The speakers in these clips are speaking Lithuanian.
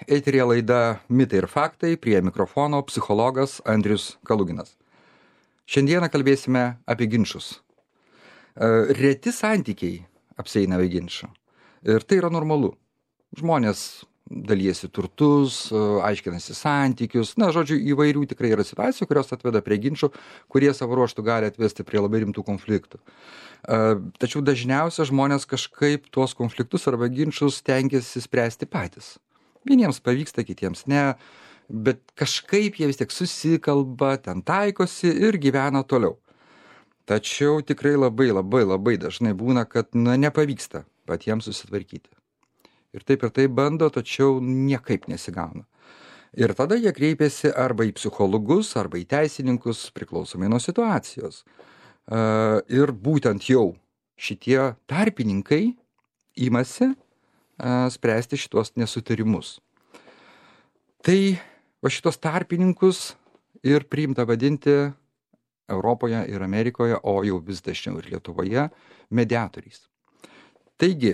Eterija laida Mitai ir faktai, prie mikrofono psichologas Andrius Kaluginas. Šiandieną kalbėsime apie ginčus. Reti santykiai apsieina be ginčų. Ir tai yra normalu. Žmonės dalyjasi turtus, aiškinasi santykius. Žodžiu, įvairių tikrai yra situacijų, kurios atveda prie ginčų, kurie savo ruožtų gali atvesti prie labai rimtų konfliktų. Tačiau dažniausiai žmonės kažkaip tuos konfliktus arba ginčus stengiasi spręsti patys. Vieniems pavyksta, kitiems ne, bet kažkaip jie vis tiek susikalba, ten taikosi ir gyvena toliau. Tačiau tikrai labai dažnai būna, kad nepavyksta patiems susitvarkyti. Ir taip bando, tačiau niekaip nesigauna. Ir tada jie kreipiasi arba į psichologus, arba į teisininkus, priklausomai nuo situacijos. Ir būtent jau šitie tarpininkai imasi spręsti šitos nesutarimus. Tai šitos tarpininkus ir priimta vadinti Europoje ir Amerikoje, o jau vis dažniau ir Lietuvoje, mediatoriais. Taigi,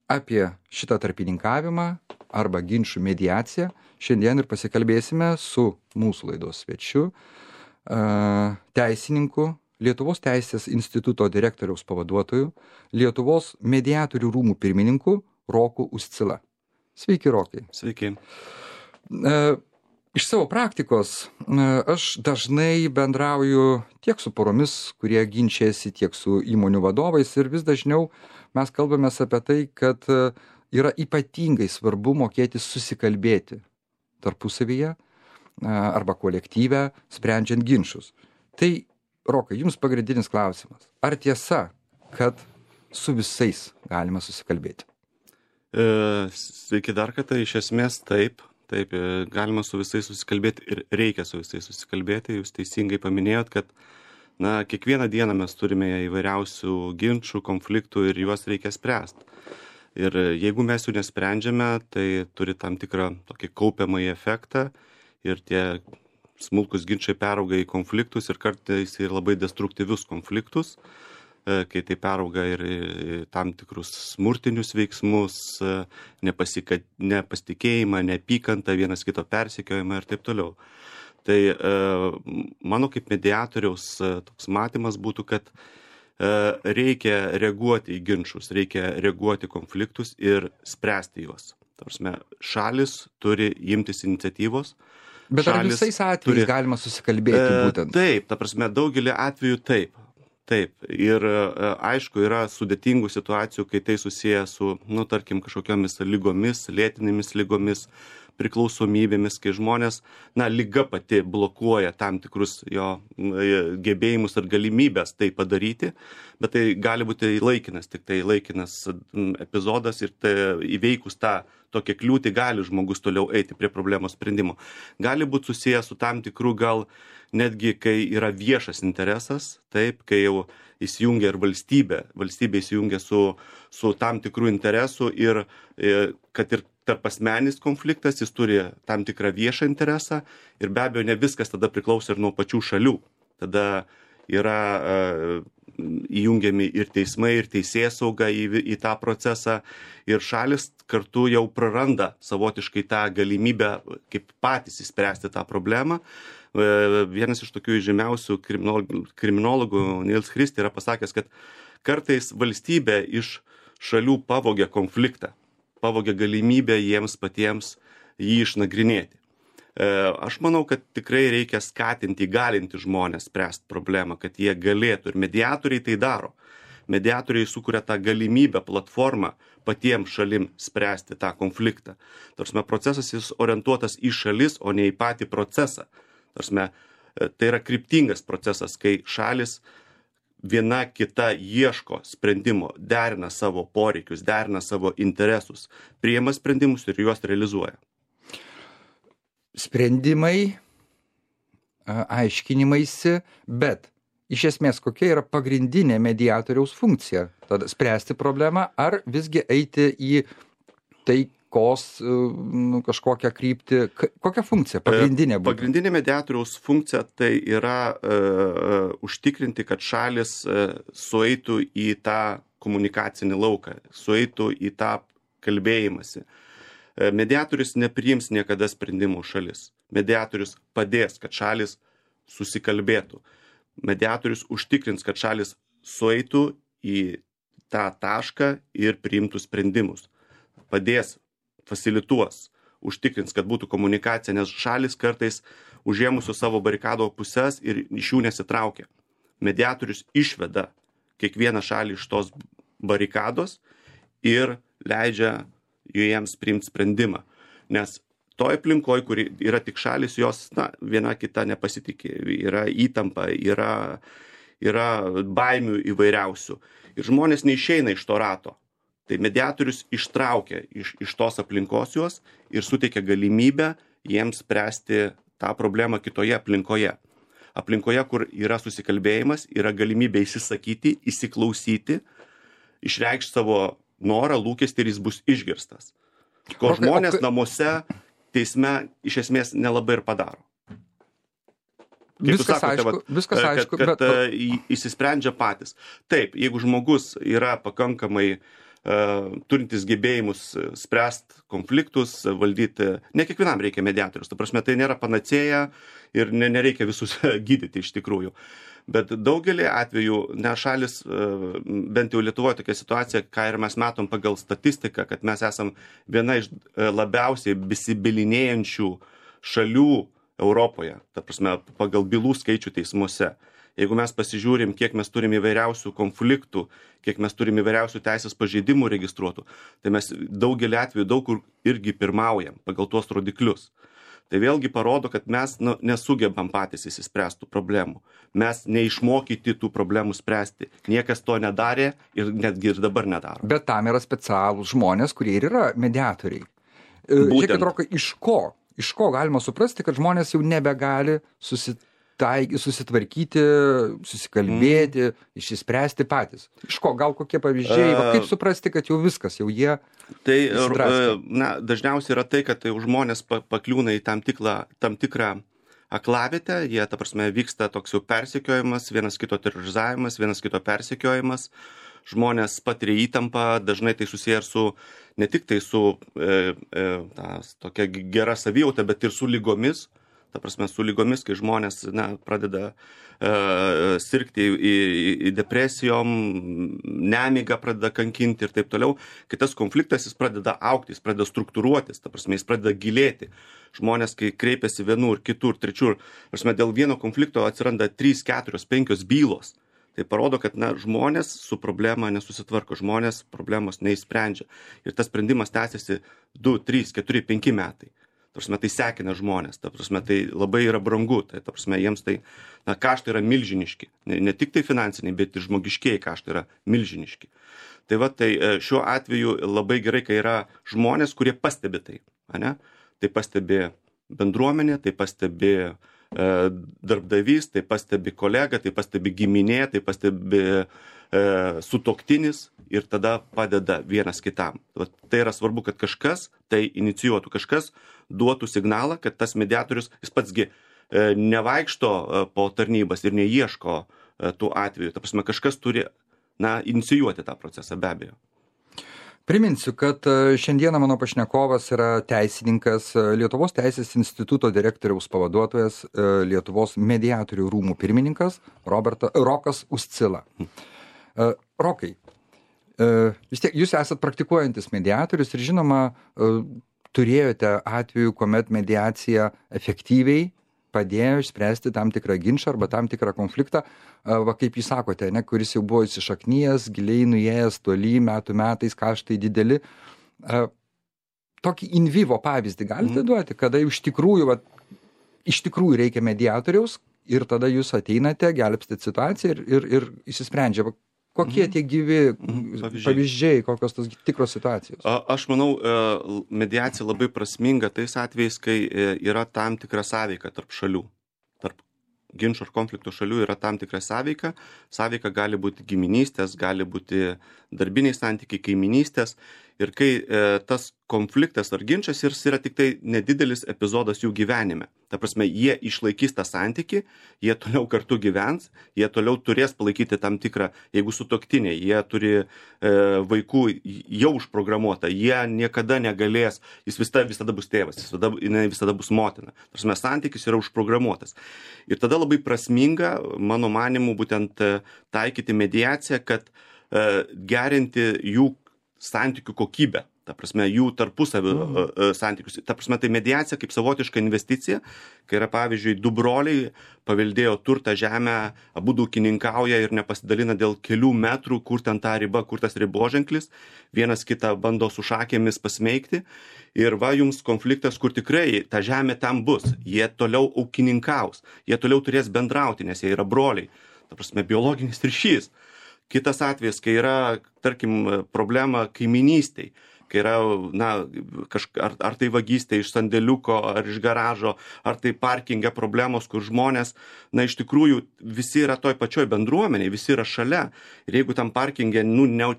apie šitą tarpininkavimą arba ginčų mediaciją šiandien ir pasikalbėsime su mūsų laidos svečiu, teisininku, Lietuvos Teisės instituto direktoriaus pavaduotoju, Lietuvos mediatorių rūmų pirmininku Roku Uscila. Sveiki, Rokai. Sveiki. Iš savo praktikos aš dažnai bendrauju tiek su poromis, kurie ginčiasi, tiek su įmonių vadovais ir vis dažniau mes kalbamės apie tai, kad yra ypatingai svarbu mokėti susikalbėti tarpusavyje arba kolektyve, sprendžiant ginčus. Tai, Rokai, jums pagrindinis klausimas. Ar tiesa, kad su visais galima susikalbėti? Sveiki dar kartą, iš esmės taip, galima su visais susikalbėti ir reikia su visais susikalbėti. Jūs teisingai paminėjot, kad kiekvieną dieną mes turime įvairiausių ginčų, konfliktų ir juos reikia spręsti. Ir jeigu mes jų nesprendžiame, tai turi tam tikrą tokį kaupiamąjį efektą ir tie smulkus ginčai perauga į konfliktus ir kartais ir labai destruktyvius konfliktus, kai tai perauga ir tam tikrus smurtinius veiksmus, nepasitikėjimą, neapykantą, vienas kito persekiojimą ir taip toliau. Tai mano kaip mediatoriaus toks matymas būtų, kad reikia reaguoti į ginčus, reikia reaguoti į konfliktus ir spręsti juos. Ta prasme, šalis turi imtis iniciatyvos. Bet ar visais atvejais galima susikalbėti būtent? Taip, ta prasme, daugelį atvejų taip. Ir aišku, yra sudėtingų situacijų, kai tai susiję su, tarkim, kažkokiamis lygomis, lėtinėmis lygomis, priklausomybėmis, kai žmonės, liga pati blokuoja tam tikrus jo gebėjimus ir galimybės tai padaryti, bet tai gali būti laikinas, tik tai laikinas epizodas ir tai įveikus tą tokią kliūtį gali žmogus toliau eiti prie problemos sprendimo. Gali būti susijęs su tam tikrų gal netgi, kai yra viešas interesas, taip, kai jau įsijungia ir valstybė įsijungia su tam tikrų interesų ir kad ir tarp asmeninis konfliktas, jis turi tam tikrą viešą interesą ir be abejo ne viskas tada priklauso ir nuo pačių šalių. Tada yra įjungiami ir teismai, ir teisėsauga į tą procesą ir šalis kartu jau praranda savotiškai tą galimybę kaip patys įspręsti tą problemą. Vienas iš tokių žymiausių kriminologų Niels Christie yra pasakęs, kad kartais valstybė iš šalių pavogia konfliktą, pavogia galimybę jiems patiems jį išnagrinėti. Aš manau, kad tikrai reikia skatinti, įgalinti žmonės spręsti problemą, kad jie galėtų ir mediatoriai tai daro. Mediatoriai sukuria tą galimybę, platformą patiems šalim spręsti tą konfliktą. Tarsime, procesas jis orientuotas į šalis, o ne į patį procesą. Tarsime, tai yra kryptingas procesas, kai šalis viena kita ieško sprendimo, derina savo poreikius, derina savo interesus, priima sprendimus ir juos realizuoja. Sprendimai, aiškinimaisi, bet iš esmės kokia yra pagrindinė mediatoriaus funkcija? Tada spręsti problemą ar visgi eiti į taikos kažkokią kryptį? Kokia funkcija pagrindinė būtų? Pagrindinė mediatoriaus funkcija tai yra užtikrinti, kad šalis sueitų į tą komunikacinį lauką, sueitų į tą kalbėjimąsi. Mediatorius nepriims niekada sprendimų šalis. Mediatorius padės, kad šalis susikalbėtų. Mediatorius užtikrins, kad šalis sueitų į tą tašką ir priimtų sprendimus. Padės, fasilituos, užtikrins, kad būtų komunikacija, nes šalis kartais užėmusių savo barikado pusės ir iš jų nesitraukia. Mediatorius išveda kiekvieną šalį iš tos barikados ir leidžia jiems priimti sprendimą. Nes toj aplinkoj, kur yra tik šalis, jos viena kita nepasitikė. Yra įtampa, yra baimių įvairiausių. Ir žmonės neišeina iš to rato. Tai mediatorius ištraukia iš tos aplinkos juos ir suteikia galimybę jiems spręsti tą problemą kitoje aplinkoje. Aplinkoje, kur yra susikalbėjimas, yra galimybė įsisakyti, įsiklausyti, išreikšti savo norą, lūkestį ir jis bus išgirstas. Ko žmonės namuose, teisme iš esmės nelabai ir padaro. Viskas aišku, kad įsisprendžia patys. Taip, jeigu žmogus yra pakankamai turintis gebėjimus spręsti konfliktus, valdyti, ne kiekvienam reikia mediatorius, ta prasme, tai nėra panacėja ir nereikia visus gydyti iš tikrųjų. Bet daugelį atvejų, šalis, bent jau Lietuvoje tokia situacija, ką ir mes matom pagal statistiką, kad mes esam viena iš labiausiai besibylinėjančių šalių Europoje, ta prasme, pagal bylų skaičių teismuose. Jeigu mes pasižiūrim, kiek mes turim įvairiausių konfliktų, kiek mes turim įvairiausių teisės pažeidimų registruotų, tai mes daugelį atvejų daug kur irgi pirmaujam pagal tuos rodiklius. Tai vėlgi parodo, kad mes nesugebam patys įsispręstų problemų. Mes neišmokyti tų problemų spręsti. Niekas to nedarė ir netgi ir dabar nedaro. Bet tam yra specialūs žmonės, kurie ir yra mediatoriai. Būtent. Žiūrėkit, Rokai, iš ko galima suprasti, kad žmonės jau nebegali susitvarkyti, susikalbėti, išsispręsti patys. Iš ko, gal kokie pavyzdžiai, kaip suprasti, kad jau viskas, jau jie... Tai dažniausiai yra tai, kad žmonės pakliūna į tam tikrą aklavietę, jie, ta prasme, vyksta toks jau persekiojimas, vienas kito terorizavimas, vienas kito persekiojimas, žmonės patiria įtampą, dažnai tai susiję ir su, ne tik tai su tokia gera savijauta, bet ir su lygomis. Ta prasme, su lygomis, kai žmonės pradeda sirgti į depresijom, nemigą pradeda kankinti ir taip toliau. Kitas konfliktas, jis pradeda augti, jis pradeda struktūruotis, ta prasme, jis pradeda gilėti. Žmonės, kai kreipiasi vienur, kitur, trečiur, prasme, dėl vieno konflikto atsiranda 3, 4, 5 bylos. Tai parodo, kad žmonės su problema nesusitvarko, žmonės problemos neįsprendžia. Ir tas sprendimas tęsiasi 2, 3, 4, 5 metai. Ta prasme, tai sekina žmonės, ta prasme, tai labai yra brangu, tai ta prasme, jiems tai kaštai yra milžiniški. Ne tik tai finansiniai, bet ir žmogiškieji kaštai yra milžiniški. Tai tai šiuo atveju labai gerai, kai yra žmonės, kurie pastebi tai. Tai pastebi bendruomenė, tai pastebi darbdavys, tai pastebi kolega, tai pastebi giminė, tai pastebi sutuoktinis ir tada padeda vienas kitam. Tai yra svarbu, kad kažkas tai inicijuotų, kažkas duotų signalą, kad tas mediatorius, jis patsgi nevaikšto po tarnybas ir neieško tų atvejų. Ta prasme, kažkas turi inicijuoti tą procesą, be abejo. Priminsiu, kad šiandieną mano pašnekovas yra teisininkas, Lietuvos teisės instituto direktoriaus pavaduotojas, Lietuvos mediatorių rūmų pirmininkas Rokas Uscila. Rokai, vis tiek jūs esat praktikuojantis mediatorius ir žinoma, turėjote atvejų, kuomet mediacija efektyviai padėjo išspręsti tam tikrą ginčą arba tam tikrą konfliktą, kaip jūs sakote, kuris jau buvo įsišaknyjęs, giliai nuėjęs, toli, metų metais, kaštai dideli. Tokį in vivo pavyzdį galite duoti, kada iš tikrųjų reikia mediatoriaus ir tada jūs ateinate, gelbstit situaciją ir įsisprendžia. Kokie tie gyvi pavyzdžiai, kokios tos tikros situacijos? Aš manau, mediacija labai prasminga tais atvejais, kai yra tam tikra sąveika tarp šalių. Tarp ginčo ir konflikto šalių yra tam tikra sąveika. Sąveika gali būti giminystės, gali būti darbiniai santykiai, kaiminystės. ir kai tas konfliktas ar ginčas ir yra tik tai nedidelis epizodas jų gyvenime. Ta prasme, jie išlaikys tą santykį, jie toliau kartu gyvens, jie toliau turės palaikyti tam tikrą, jeigu sutuoktiniai, jie turi vaikų jau užprogramuotą, jie niekada negalės, jis visada bus tėvas, jinai visada bus motina. Ta prasme, santykis yra užprogramuotas. Ir tada labai prasminga, mano manimu, būtent taikyti mediaciją, kad gerinti jų santykių kokybę. Ta prasme, jų tarpusavio santykius. Ta prasme, tai mediacija kaip savotiška investicija, kai yra, pavyzdžiui, du broliai paveldėjo turtą žemę, abudu ūkininkauja ir nepasidalina dėl kelių metrų, kur ten ta riba, kur tas riboženklis, vienas kitą bando su šakėmis pasmeigti. Ir va jums konfliktas, kur tikrai ta žemė tam bus. Jie toliau ūkininkaus, jie toliau turės bendrauti, nes jie yra broliai. Ta prasme, biologinis ryšys. Kitas atvejis, kai yra, tarkim, problema kaiminystėj, kai yra, na, ar tai vagystė iš sandėliuko, ar iš garažo, ar tai parkinge problemos, kur žmonės, na, iš tikrųjų, visi yra toj pačioj bendruomeniai, visi yra šalia. Ir jeigu tam parkinge,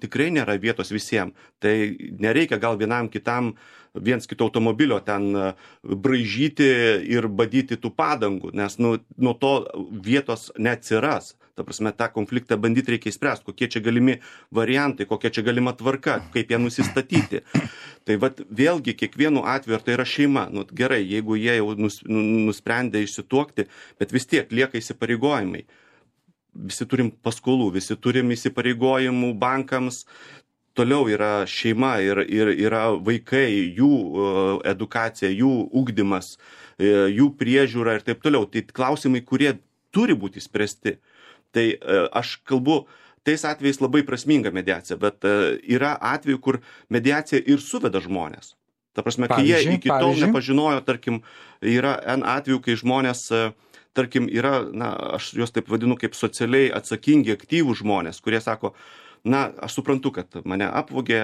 tikrai nėra vietos visiems, tai nereikia gal vienam kitam viens kito automobilio ten braižyti ir badyti tų padangų, nes nuo to vietos neatsiras. Ta prasme, tą konfliktą bandyti reikia įspręsti, kokie čia galimi variantai, kokia čia galima tvarka, kaip ją nusistatyti. Tai vat vėlgi kiekvienu atveju, ar tai yra šeima, gerai, jeigu jie jau nusprendė išsituokti, bet vis tiek lieka įsipareigojimai. Visi turim paskolų, visi turim įsipareigojimų bankams, toliau yra šeima ir yra vaikai, jų edukacija, jų ugdymas, jų priežiūra ir taip toliau. Tai klausimai, kurie turi būti spręsti. Tai aš kalbu, tais atvejais labai prasminga mediacija, bet yra atveju, kur mediacija ir suveda žmonės. Ta prasme, kai jie iki tol nepažinojo, tarkim, yra N atveju, kai žmonės, tarkim, yra, na, aš juos taip vadinu kaip socialiai atsakingi, aktyvūs žmonės, kurie sako, na, aš suprantu, kad mane apvogė,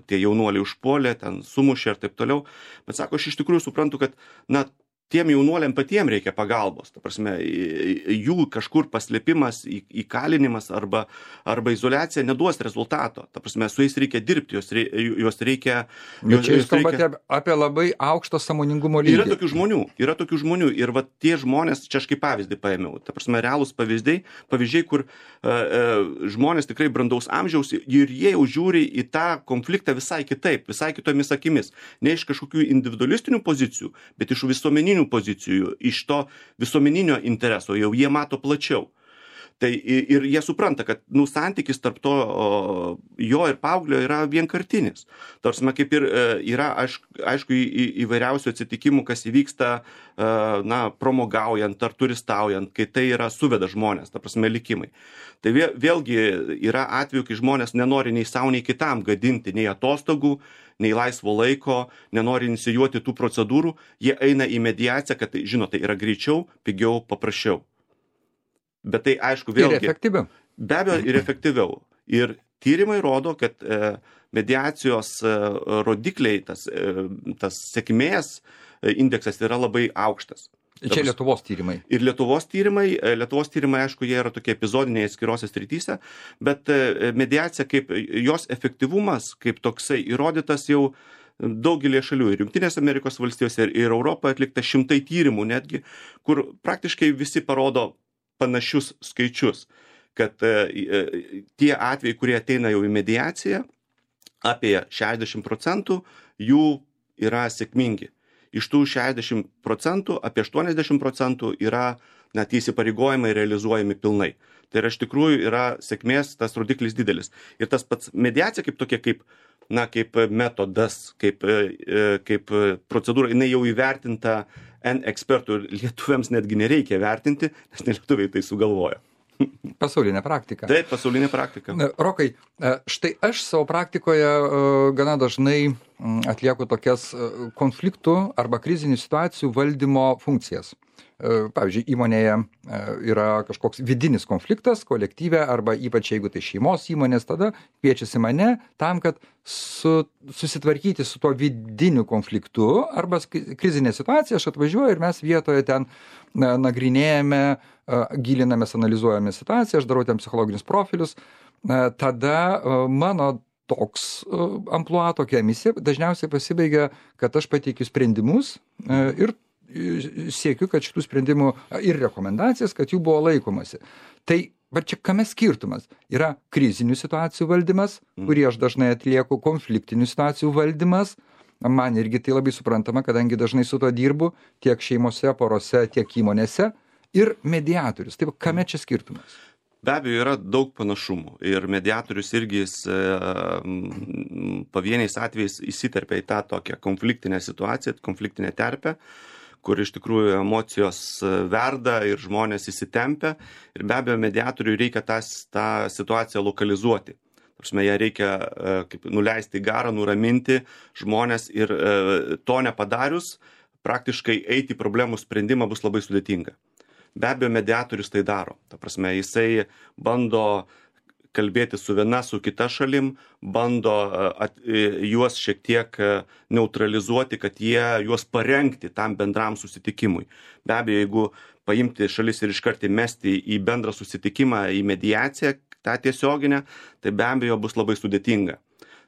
tie jaunuoliai užpuolė, ten sumušė ir taip toliau, bet sako, aš iš tikrųjų suprantu, kad, na, tiem jaunuoliam patiem reikia pagalbos. Ta prasme, jų kažkur paslėpimas, įkalinimas arba izoliacija neduos rezultato. Ta prasme, su jais reikia dirbti, juos reikia... Bet čia jūs kalbate apie labai aukštą sąmoningumo lygį. Yra tokių žmonių ir va tie žmonės, čia aš kaip pavyzdį paėmiau, ta prasme, realūs pavyzdžiai, kur žmonės tikrai brandaus amžiaus ir jie jau žiūri į tą konfliktą visai kitaip, visai kitomis akimis. Ne iš kažkokių individualistinių pozicijų, bet iš visuomeninių pozicijų, iš to visuomeninio intereso, jau jie mato plačiau. Tai ir jie supranta, kad santykis tarp to jo ir paauglio yra vienkartinis. Tarsi, kaip ir yra, aišku, įvairiausių atsitikimų, kas įvyksta, na, promogaujant ar turistaujant, kai tai yra suveda žmonės, ta prasme, likimai. Tai vėlgi yra atveju, kai žmonės nenori nei savo, nei kitam gadinti, nei atostogų, nei laisvo laiko, nenori inicijuoti tų procedūrų, jie eina į mediaciją, kad, žinot, tai yra greičiau, pigiau, paprasčiau. Bet tai, aišku, vėlgi... Ir efektyviau. Be abejo, ir efektyviau. Ir tyrimai rodo, kad mediacijos rodikliai, tas sėkmės indeksas yra labai aukštas. Čia Lietuvos tyrimai. Ir Lietuvos tyrimai, aišku, jie yra tokie epizodiniai atskirose srityse, bet mediacija kaip jos efektyvumas, kaip toksai įrodytas jau daugelį šalių, ir Jungtinės Amerikos valstijose, ir Europoje atlikta 100 tyrimų netgi, kur praktiškai visi parodo panašius skaičius, kad tie atvejai, kurie ateina jau į mediaciją, apie 60% jų yra sėkmingi. Iš tų 60%, apie 80% yra net įsipareigojimai realizuojami pilnai. Tai yra iš tikrųjų yra sėkmės tas rodiklis didelis. Ir tas pats mediacija kaip tokia, kaip metodas, kaip procedūra, jinai jau įvertinta N ekspertų, ir lietuviams netgi nereikia vertinti, nes nelietuviai tai sugalvojo. Pasaulinė praktika. Taip, pasaulinė praktika. Rokai, štai aš savo praktikoje gana dažnai atlieku tokias konfliktų arba krizinių situacijų valdymo funkcijas. Pavyzdžiui, įmonėje yra kažkoks vidinis konfliktas kolektyve arba ypač jeigu tai šeimos įmonės, tada kviečiasi mane tam, kad susitvarkyti su tuo vidiniu konfliktu arba krizinė situacija, aš atvažiuoju ir mes vietoje ten nagrinėjame, gilinamės, analizuojame situaciją, aš darau ten psichologinius profilius, tada mano toks amplua, tokia misija dažniausiai pasibaigia, kad aš pateikiu sprendimus ir siekiu, kad šitų sprendimų ir rekomendacijas, kad jų buvo laikomasi. Tai va čia kame skirtumas? Yra krizinių situacijų valdymas, kurį aš dažnai atlieku, konfliktinių situacijų valdymas. Man irgi tai labai suprantama, kadangi dažnai su to dirbu tiek šeimose, porose, tiek įmonėse. Ir mediatorius. Tai kame čia skirtumas? Be abejo, yra daug panašumų ir mediatorius irgi pavieniais atvejais įsiterpia į tą tokią konfliktinę situaciją, konfliktinę terpę, kur iš tikrųjų emocijos verda ir žmonės įsitempia ir be abejo mediatoriui reikia tą situaciją lokalizuoti. Ją reikia kaip nuleisti į garą, nuraminti žmonės ir to nepadarius, praktiškai eiti į problemų sprendimą bus labai sudėtinga. Be abejo, mediatorius tai daro. Ta prasme, jisai bando kalbėti su viena, su kita šalim, bando juos šiek tiek neutralizuoti, kad juos parengti tam bendram susitikimui. Be abejo, jeigu paimti šalis ir iškart įmesti į bendrą susitikimą, į mediaciją, tą tiesioginę, tai be abejo bus labai sudėtinga.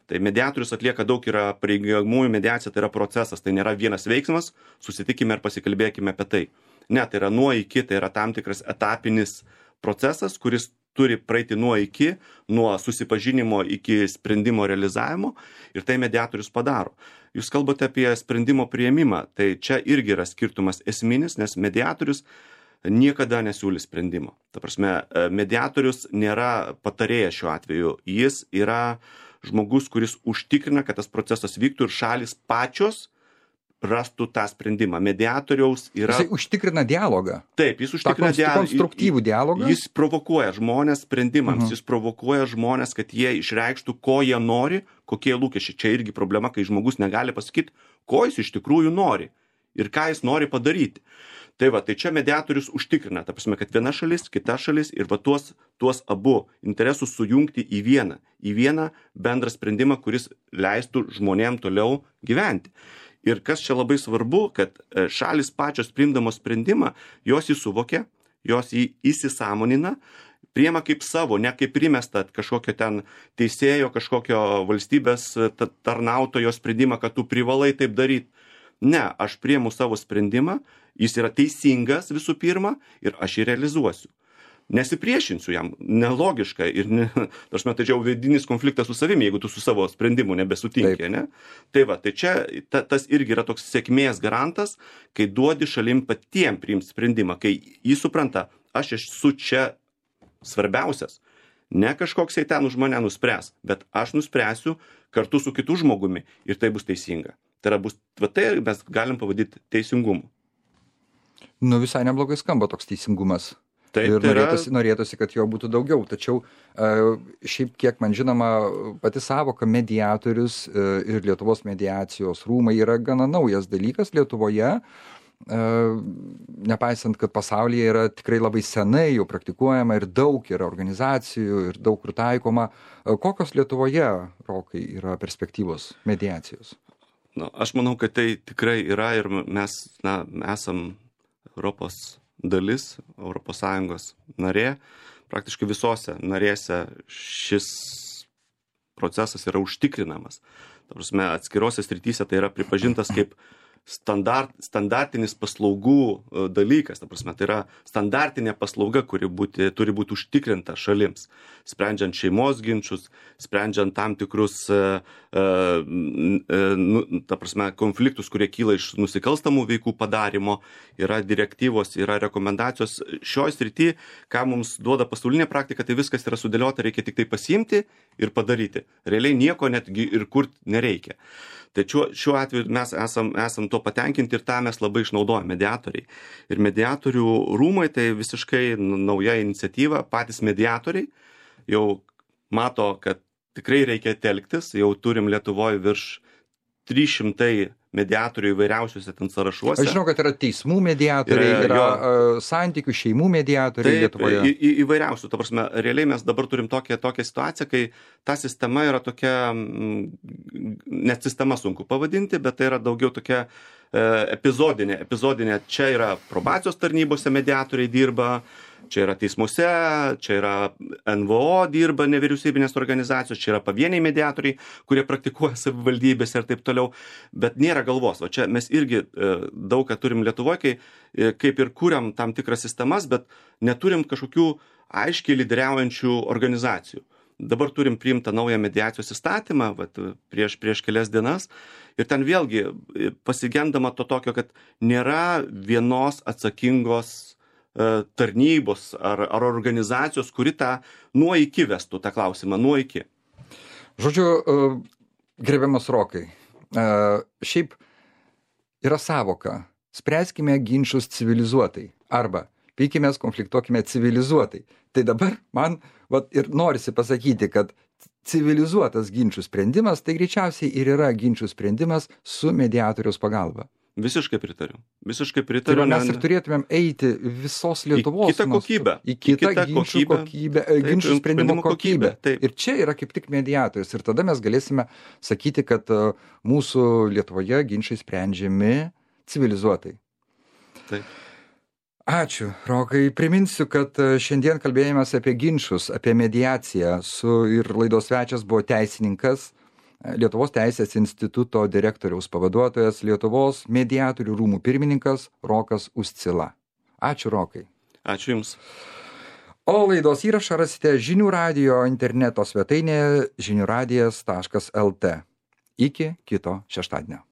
Tai mediatorius atlieka daug, yra pareigiamųjų mediacija, tai yra procesas, tai nėra vienas veiksmas, susitikime ir pasikalbėkime apie tai. Ne, tai yra nuo iki, tai yra tam tikras etapinis procesas, kuris turi praeiti nuo iki, nuo susipažinimo iki sprendimo realizavimo ir tai mediatorius padaro. Jūs kalbate apie sprendimo priėmimą, tai čia irgi yra skirtumas esminis, nes mediatorius niekada nesiūlys sprendimo. Ta prasme, mediatorius nėra patarėjas šiuo atveju, jis yra žmogus, kuris užtikrina, kad tas procesas vyktų ir šalis pačios rastų tą sprendimą. Mediatoriaus yra... Jisai užtikrina dialogą. Taip, jis užtikrina konstruktyvų dialogą. Jis provokuoja žmonės sprendimams, jis provokuoja žmonės, kad jie išreikštų, ko jie nori, kokie lūkesčiai. Čia irgi problema, kai žmogus negali pasakyti, ko jis iš tikrųjų nori ir ką jis nori padaryti. Tai va, tai čia mediatorius užtikrina, ta prasme, kad viena šalis, kita šalis ir va tuos abu interesus sujungti į vieną bendrą sprendimą, kuris leistų žmonėm toliau gyventi. Ir kas čia labai svarbu, kad šalis pačios priimdamos sprendimą, jos jį suvokia, jos jį įsisąmonina, priima kaip savo, ne kaip primesta kažkokio ten teisėjo, kažkokio valstybės tarnautojo sprendimą, kad tu privalai taip daryti. Ne, aš priimu savo sprendimą, jis yra teisingas visų pirma ir aš jį realizuosiu. Nesipriešinsiu jam, nelogiška ir aš matau vidinis konfliktas su savimi, jeigu tu su savo sprendimu nebesutinki, ne? Tai va, tai čia tas irgi yra toks sėkmės garantas, kai duodi šalim patiem priimti sprendimą, kai jis supranta, aš esu čia svarbiausias, ne kažkoksai ten už mane nuspręs, bet aš nuspręsiu kartu su kitu žmogumi ir tai bus teisinga. Tai yra tai mes galim pavadinti teisingumu. Nu visai neblogai skamba toks teisingumas. Taip, ir norėtųsi, kad jo būtų daugiau. Tačiau šiaip kiek man žinoma, pati savoka mediatorius ir Lietuvos mediacijos rūmai yra gana naujas dalykas Lietuvoje, nepaisant, kad pasaulyje yra tikrai labai senai jau praktikuojama ir daug yra organizacijų ir daug kur taikoma. Kokios Lietuvoje, Rokai, yra perspektyvos mediacijos? Aš manau, kad tai tikrai yra ir mes esam Europos dalis, ES narė. Praktiškai visose narėse šis procesas yra užtikrinamas. Ta prasme, atskirose srityse tai yra pripažintas kaip standartinis paslaugų dalykas. Ta prasme, tai yra standartinė paslauga, kuri turi būti užtikrinta šalims, sprendžiant šeimos ginčus, sprendžiant tam tikrus ta prasme, konfliktus, kurie kyla iš nusikalstamų veikų padarimo, yra direktyvos, yra rekomendacijos. Šioj srity, ką mums duoda pasaulinė praktika, tai viskas yra sudėliota, reikia tik tai pasiimti ir padaryti. Realiai nieko netgi ir kurti nereikia. Tai šiuo atveju mes esam to patenkinti ir tą mes labai išnaudojame mediatoriai. Ir mediatorių rūmai tai visiškai nauja iniciatyva, patys mediatoriai jau mato, kad tikrai reikia telktis, jau turim Lietuvoje virš 300 mediatorių įvairiausiuose ten sąrašuose. Aš žinau, kad yra teismų mediatoriai, yra santykių šeimų mediatoriai Lietuvoje. Įvairiausių. Ta prasme, realiai mes dabar turim tokią situaciją, kai ta sistema yra tokia, net sistema sunku pavadinti, bet tai yra daugiau tokia epizodinė. Čia yra probacijos tarnybose mediatoriai dirba, Čia yra teismuose, čia yra NVO dirba nevyriausybinės organizacijos, čia yra pavieniai mediatoriai, kurie praktikuoja savivaldybėse ir taip toliau, bet nėra galvos. O čia mes irgi daug ką turim Lietuvoje, kai kaip ir kūriam tam tikras sistemas, bet neturim kažkokių aiškiai lyderiaujančių organizacijų. Dabar turim priimtą naują mediacijos įstatymą, prieš kelias dienas, ir ten vėlgi pasigendama to tokio, kad nėra vienos atsakingos tarnybos ar organizacijos, kuri tą nuo iki vestų, tą klausimą nuo iki. Žodžiu, gerbiamas Rokai, šiaip yra savoka, spręskime ginčus civilizuotai arba pykimės, konfliktuokime civilizuotai. Tai dabar man ir norisi pasakyti, kad civilizuotas ginčių sprendimas, tai greičiausiai ir yra ginčių sprendimas su mediatoriaus pagalba. Visiškai pritariu. Tai mes ir turėtumėm eiti visos Lietuvos į kitą kokybę. Į kitą ginčių sprendimo kokybę. Ir čia yra kaip tik mediatorius. Ir tada mes galėsime sakyti, kad mūsų Lietuvoje ginčiai sprendžiami civilizuotai. Taip. Ačiū, Rokai. Priminsiu, kad šiandien kalbėjomės apie ginčus, apie mediaciją. Ir laidos svečias buvo teisininkas, Lietuvos teisės instituto direktoriaus pavaduotojas, Lietuvos mediatorių rūmų pirmininkas Rokas Uscila. Ačiū, Rokai. Ačiū Jums. O laidos įrašą rasite žinių radijo interneto svetainėje žiniųradijas.lt. Iki kito šeštadienio.